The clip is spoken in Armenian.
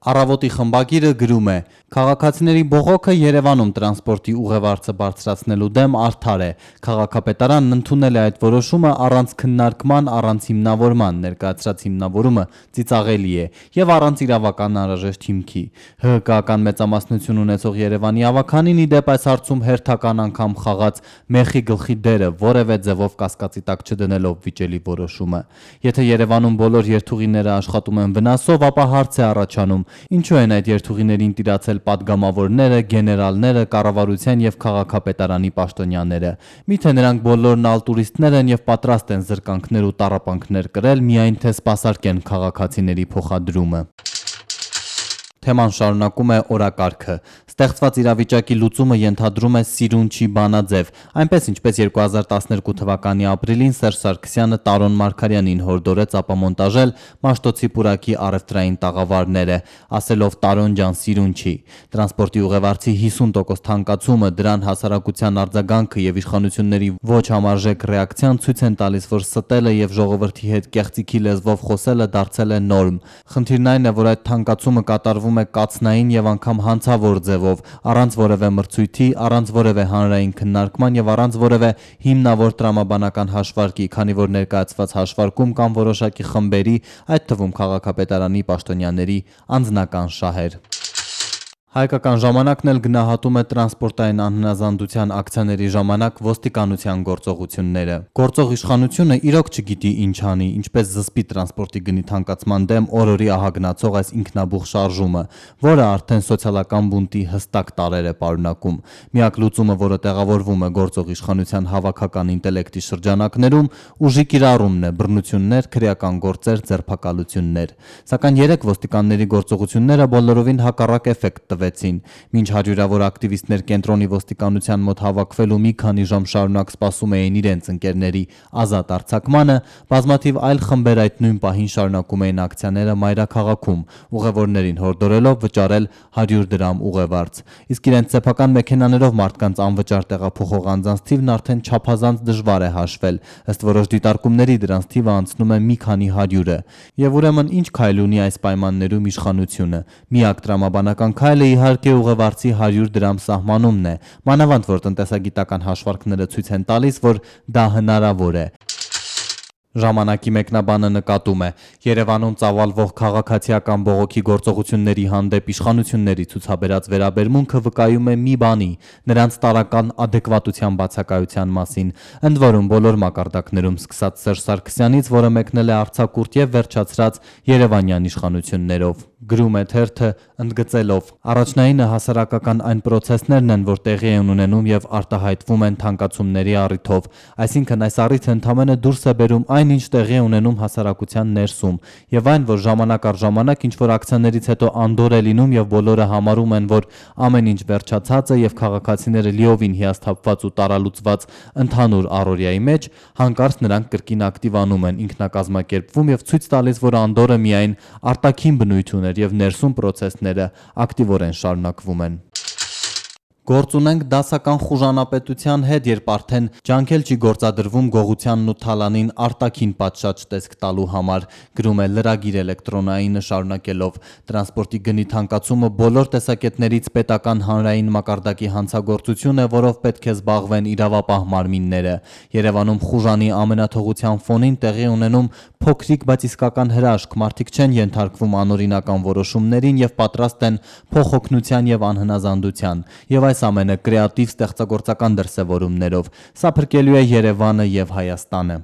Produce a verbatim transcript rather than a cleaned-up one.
Առավոտի խմբագիրը գրում է. «Քաղաքացիների բողոքը Երևանում տրանսպորտի ուղևորձը բարձրացնելու դեմ արդար է։ Քաղաքապետարանն ընդունել է այդ որոշումը առանց քննարկման, առանց հիմնավորման, ներկայացրած հիմնավորումը ծիծաղելի է եւ առանց իրավական անհրաժեշտ հիմքի։ ՀՀԿ-ական մեծամասնություն ունեցող Երևանի ավականին ի դեպ այս հարցում հերթական անգամ խաղաց մեխի գլխի դերը, որևէ ձևով կասկածի տակ չդնելով վիճելի որոշումը։ Եթե Երևանում բոլոր երթուղիները աշխատում են վնասով, ապա հարց է առաջանում. ինչու են այդ երթուղիներին տիրացել պատգամավորները, գեներալները, կառավարության եւ քաղաքապետարանի պաշտոնյաները։ Միթե նրանք բոլորն ալտուրիստներ են եւ պատրաստ են զրկանքներ ու տառապանքներ կրել, միայն թե սպասարկեն քաղաքացիների փոխադրումը»։ Թեման շարունակում է օրակարգը։ Ստեղծված իրավիճակի լուծումը ենթադրում է սիրուն չի բանաձև, այնպես ինչպես երկու հազար տասներկու թվականի ապրիլին Սերժ Սարգսյանը Տարոն Մարգարյանին հորդորեց ապամոնտաժել Մաշտոցի պուրակի առևտրային տաղավարները, ասելով Տարոն ջան, սիրուն չի։ Տրանսպորտի ուղևորձի հիսուն տոկոս թանկացումը, դրան հասարակության արձագանքը եւ իշխանությունների ոչ համարժեք ռեակցիան ցույց են տալիս, որ ստելը եւ ժողովրդի հետ կեղծիքի լեզվով խոսելը դարձել է նորմ։ Խնդիրն այն է, որ այդ թանկացումը կատարվում է կացնային եւ անգամ հանցավոր ձևով, առանց որևէ մրցույթի, առանց որևէ հանրային քննարկման եւ առանց որևէ հիմնավոր տրամաբանական հաշվարկի, քանի որ ներկայացված հաշվարկում կան որոշակի խմբերի, այդ թվում քաղաքապետարանի պաշտոնյաների անձնական շահեր։ Հայկական ժամանակն էլ գնահատում է տրանսպորտային անհնազանդության ակցիաների ժամանակ ոստիկանության գործողությունները։ Գործող իշխանությունը իրոք չգիտի ինչ անի, ինչպես զսպի տրանսպորտի գնի թանկացման դեմ օրորի ահագնացող այս ինքնաբուխ շարժումը, որը արդեն սոցիալական բունտի հստակ տարրեր է պարունակում։ Միակ լուծումը, որը տեղավորվում է գործող իշխանության հավաքական ինտելեկտի շրջանակներում, ուժի կիրառումն է, բռնություններ, քրեական գործեր, ձերբակալություններ։ Սակայն երեք ոստիկանների գործողությունները բոլորովին հակառակ էֆեկտ Մինչ հարյուրավոր ակտիվիստներ կենտրոնի ոստիկանության մոտ հավաքվելու մի քանի ժամ շարունակ սպասում էին իրենց ընկերների ազատ արձակմանը, բազմաթիվ այլ խմբեր այդ նույն պահին շարունակում էին ակցիաները մայրաքաղաքում, ուղևորներին հորդորելով վճարել հարյուր դրամ ուղևորձ։ Իսկ իրենց սեփական մեքենաներով մարդկանց անվճար տեղափոխող անձանց թիվն արդեն չափազանց դժվար է հաշվել, ըստ որոշ դիտարկումների դրանց թիվը անցնում է մի քանի հարյուրը։ Եվ ուրեմն ինչ քայլ ունի այս պայմաններում իշխանությունը։ Միակ տրամաբանական քայլը իհարկե ուղևորձի հարյուր դրամ սահմանումն է, մանավանդ որ տնտեսագիտական հաշվարկները ցույց են տալիս, որ դա հնարավոր է։ Ժամանակի մեկնաբանը նկատում է. Երևանում ծավալվող քաղաքացիական բողոքի գործողությունների հանդեպ իշխանությունների ցուցաբերած վերաբերմունքը վկայում է մի բանի՝ նրանց տարրական ադեկվատության բացակայության մասին, ընդ որում բոլոր մակարդակներում սկսած Սերժ Սարգսյանից, որը մեկնել է արձակուրդ եւ վերջացրած երևանյան իշխանություններով։ Գրում է թերթը ընդգծելով. առաջնայինը հասարակական այն պրոցեսներն են, որ տեղի են ունենում եւ արտահայտվում են թանկացումների առիթով, այսինքն այս առիթը ընդամենը դուրս է բերում այն, ինչ տեղի է ունենում հասարակության ներսում, եւ այն, որ ժամանակ առ ժամանակ ինչ որ ակցիաներից հետո անդոր է լինում եւ բոլորը համարում են, որ ամեն ինչ վերջացած է եւ քաղաքացիները լիովին հիասթափված ու տարալուծված ընդհանուր առօրյայի մեջ, հանկարծ նրանք կրկին ակտիվանում են, ինքնակազմակերպվում եւ ցույց տալիս, որ անդորը միայն արտաքին բնույթ ուներ եւ ներսում պրոցեսները ակտիվորեն շարունակվում են։ Գործ ունենք դասական խուժանապետության հետ, երբ արդեն ջանքել չի գործադրվում գողությանն ու թալանին արտաքին պատշաճ տեսք տալու համար, գրում է լրագիր էլեկտրոնայինը շարունակելով. տրանսպորտի գնի թանկացումը բոլոր տեսակետներից պետական հանրային մակարդակի հանցագործություն է, որով պետք է զբաղվեն իրավապահ մարմինները։ Երևանում խուժանի ամենաթողության ֆոնին տեղի ունենում փոքրիկ, բայց իսկական հրաշք, մարդիկ չեն ենթարկվում անօրինական որոշումներին եւ պատրաստ են փոխօգնության եւ անհնազանդության, եւ այս ամենը կրեատիվ ստեղծագործական դրսևորումներով։ Սա փրկելու է Երևանը եւ Հայաստանը։